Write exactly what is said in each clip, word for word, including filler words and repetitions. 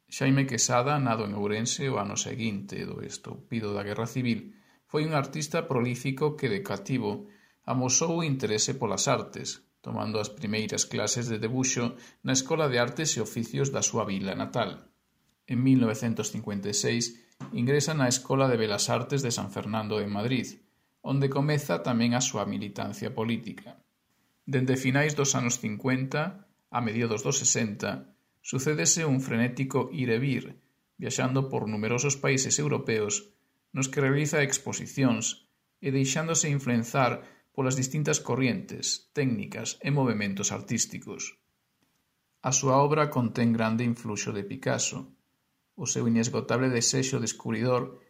Xaime Quesada, nado en Ourense o ano seguinte do estoupido da Guerra Civil, foi un artista prolífico que de cativo amosou o interese polas artes, tomando as primeiras clases de debuxo na Escola de Artes e Oficios da súa vila natal. En mil novecentos cincuenta e seis ingresa na Escola de Belas Artes de San Fernando en Madrid, onde comeza tamén a súa militancia política. Dende finais dos anos cincuenta a mediados dos sesenta, sucédese un frenético ir e vir, viaxando por numerosos países europeos nos que realiza exposicións e deixándose influenzar polas distintas corrientes, técnicas e movementos artísticos. A súa obra contén grande influxo de Picasso. O seu inesgotable desexo descubridor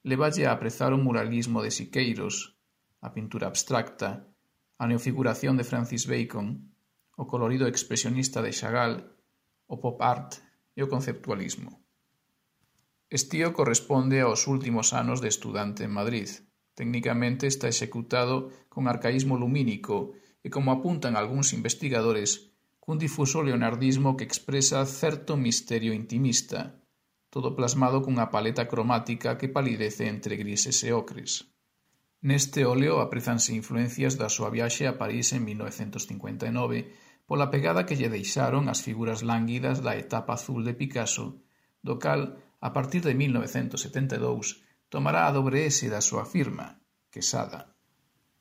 levalle a aprezar o muralismo de Siqueiros, a pintura abstracta, a neofiguración de Francis Bacon, o colorido expresionista de Chagall, o pop art e o conceptualismo. Estío corresponde aos últimos anos de estudante en Madrid. Técnicamente está executado con arcaísmo lumínico e, como apuntan algúns investigadores, cun difuso leonardismo que expresa certo misterio intimista, todo plasmado cunha paleta cromática que palidece entre grises e ocres. Neste óleo aprezanse influencias da súa viaxe a París en mil novecentos cincuenta e nove pola pegada que lle deixaron as figuras lánguidas da etapa azul de Picasso, do cal, a partir de mil novecentos setenta e dous, tomará a dobre ese da súa firma, Quesada.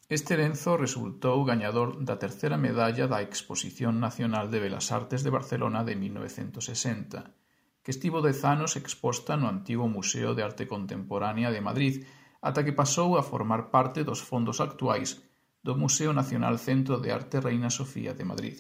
Este lenzo resultou gañador da terceira medalla da Exposición Nacional de Belas Artes de Barcelona de mil novecentos sesenta, que estivo dez anos exposta no antigo Museo de Arte Contemporánea de Madrid, ata que pasou a formar parte dos fondos actuais do Museo Nacional Centro de Arte Reina Sofía de Madrid.